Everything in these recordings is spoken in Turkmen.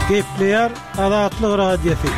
Gepleýär Azatlyk Radiosy.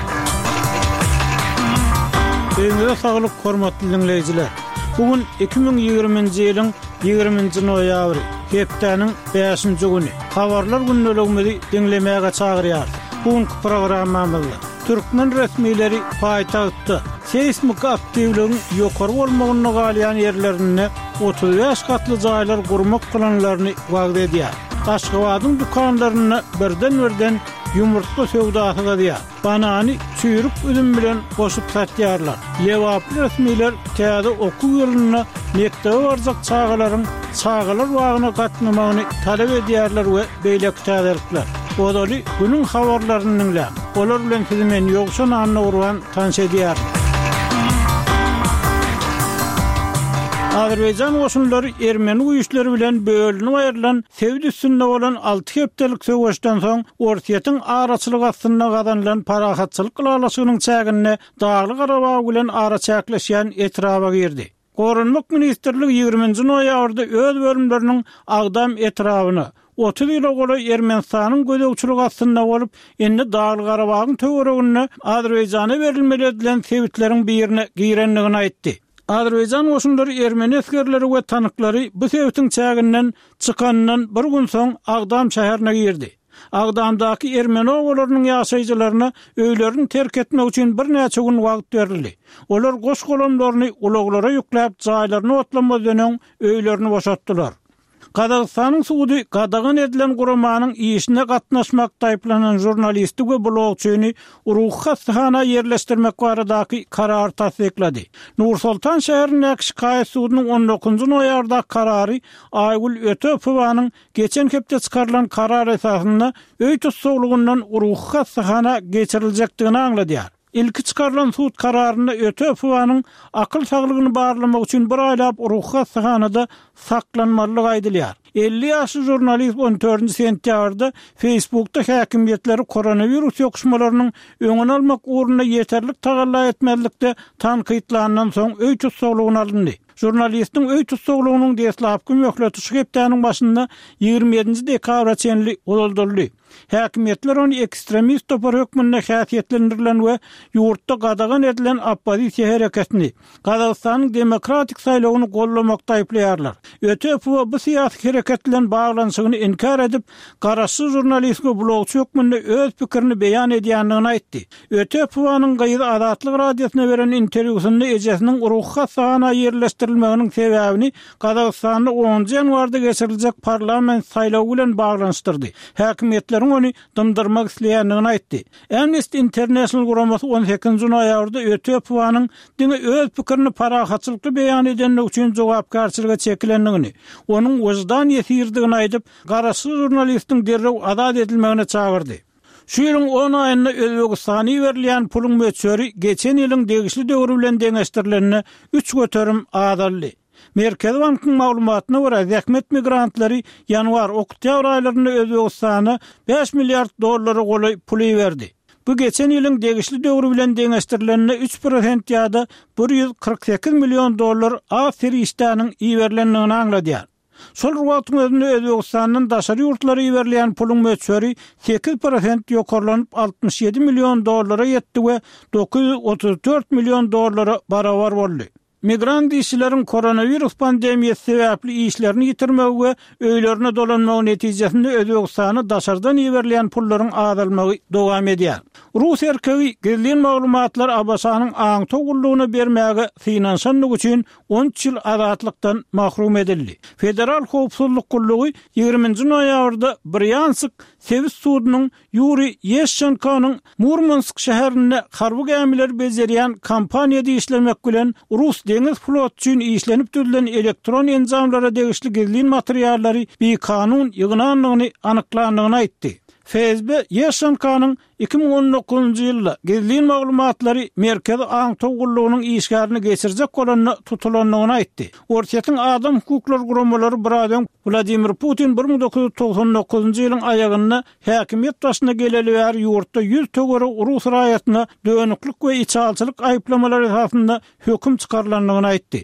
Öýüňize saglyk, hormatly diňleýjiler! Bu gün 2020-nji ýylyň 20-nji noýabry, hepdäniň bäşinji güni. Habarlar gündeligimizi diňlemäge çagyrýarys. Bu günki programmamyzda türkmen resmileri paýtagtda seýsmiki aktiwligiň ýokary bolmagynda galýan ýerlerinde 35 gatly jaýlar gurmak planlaryny wagyz edýär. Aşgabadyň dükanlarynda birden-birden ýumurtga söwdasy gyzýar. Banany çüýrük üzüm bilen goşup satýarlar. Lebaply resmiler täze okuw ýylynda mekdebe barjak çagalaryň çagalar bagyna gatnamagyny talap edýärler we beýleki täzelikler. Ozaly günüň habarlaryny diňläň. Olar bilen sizi men Ýowşan Annagurban tanyş edýärin. Azerbaýjan goşunlary ermeni güýçleri bilen bölünip aýrylan sebit üstünde bolan alty hepdelik söweşden soň Orsýetiň araçylygy astynda gazanylan parahatçylyk ylalaşygynyň çäginde Dagly-Garabag bilen araçäkleşýän etraba girdi. Goranmak ministrligi ýigriminji noýabrda öz bölümleriniň Agdam etrabyna, 30 ýyla golaý Ermenistanyň gözegçiligi astynda bolup, indi Dagly-Garabagyň töwereginde Azerbaýjana berilmeli edilen sebitleriň birine girendigini aýtdy. Azerbaýjan goşunlary ermeni esgerleri we tanklary bu sebitiň çäginden çykanyndan bir gün soň Agdam şäherine girdi. Agdamdaky ermeni obalarynyň ýaşaýjylaryna öýlerini terk etmek üçin birnäçe gün wagt berildi. Olar goş-golamlaryny ulaglara ýükläp, jaýlaryny otlamazdan öň öýlerini boşatdylar. Gazagystanyň sudy gadagan edilen guramanyň işine gatnaşmakda aýyplanan žurnalisti we blogçyny ruhy hassahana ýerleşdirmek baradaky karary tassyklady. Nur-Sultan şäherindäki şikaýat sudunyň on dokuzynjy noýabrdaky karary Aýgül Ötepowanyň geçen hepde çykarylan karar esasynda öý tussaglygyndan ruhy hassahana geçiriljekdigini aňladýar. Ilki çykarylan sud kararynda Ötepowanyň akyl saglygyny barlamak üçin bir aýlap ruhy hassahanada saklanmalydygy aýdylýar. 50 ýaşly žurnalist on dördünji sentýabrda Facebookda häkimiýetleri koronawirus ýokuşmalarynyň öňüni almak ugrunda ýeterlik tagalla etmezlikde tankytlandan soň öý tussaglygyna alyndy. Žurnalistiň öý tussaglygynyň deslapky möhleti şu hepdäniň başynda 27-nji dekabra çenli uzaldyldy. Häkimiýetler ony ekstremist topar hökmünde häsiýetlendirilen we ýurtda gadagan edilen oppozisiýa hereketini, Gazagystanyň demokratik saýlawyny goldamakda aýyplaýarlar. Ötepowa bu syýasy hereket bilen baglanyşygyny inkär edip, garaşsyz žurnalist we blogçy hökmünde öz pikirini beýan edýändigini aýtdy. Ötepowanyň gyzy Azatlyk Radiosyna beren interwýusynda ejesiniň ruhy hassahana ýerleşdirilmeginiň sebäbini Gazagystanda onunjy ýanwarda geçiriljek parlament saýlawy bilen baglanyşdyrdy. Häkimiýetleriň ony dymdyrmak isleýändigini aýtdy. Amnesty International guramasy on sekizinji noýabrda Ötepowanyň diňe öz pikirini parahatçylykly beýan edendigi üçin jogapkärçilige çekilendigini, onuň wyždan ýesiridigini aýdyp, garaşsyz žurnalistiň derrew azat edilmegine çagyrdy. Şu ýylyň on aýynda Özbegistana iberilýän puluň möçberi geçen ýylyň degişli döwri bilen deňeşdirilende 3% azaldy. Merkezi bankyň maglumatyna görä, zähmet migrantlary ýanwar, oktýabr aýlarynda Özbegistana 5 milliard dollara golaý pul iberdi. Bu geçen ýylyň degişli döwri bilen deňeşdirilende 3% ýa-da 148 million dollar az serişdäniň iberilendigini aňladýar. Şol bir wagtyň özünde Özbegistandan daşary ýurtlara iberilýän puluň möçberi 8% ýokarlanyp, 67 million dollara ýetdi we 934 million dollara barabar boldy. Migrant işçileriň koronawirus pandemiýasy sebäpli işlerini ýitirmegi we öýlerine dolanmagy netijesinde Özbegistana daşardan iberilýän pullaryň azalmagy dowam edýär. Rus erkegi gizlin maglumatlary ABŞ-nyň aňtaw gullugyna bermäge synanyşandygy üçin 13 ýyl azatlykdan mahrum edildi. Federal howpsuzlyk gullugy ýigriminji noýabrda Brýansk sebit sudunyň Ýuriý Ýeşçenkonyň Murmansk şäherinde harby gämileri bejerýän kompaniýada işlemek bilen rus deňiz floty üçin işlenip düzülen elektron enjamlara degişli gizlin materiallary bikanun ýygnandygyny anyklandygyny aýtdy. FSB Ýeşçenkonyň 2019-njy ýylda gizlin maglumatlary Merkezi aňtaw gullugynyň işgärine geçirjek bolanda tutulandygyny aýtdy. Orsýetiň adam hukuklary guramalary biraz öň Wladimir Putin 1999-njy ýylyň aýagynda häkimiýet başyna geleli bäri ýurtda ýüz töweregi rus raýatyna dönüklik we içalyçylyk aýyplamalary esasynda höküm çykarylandygyny aýtdy.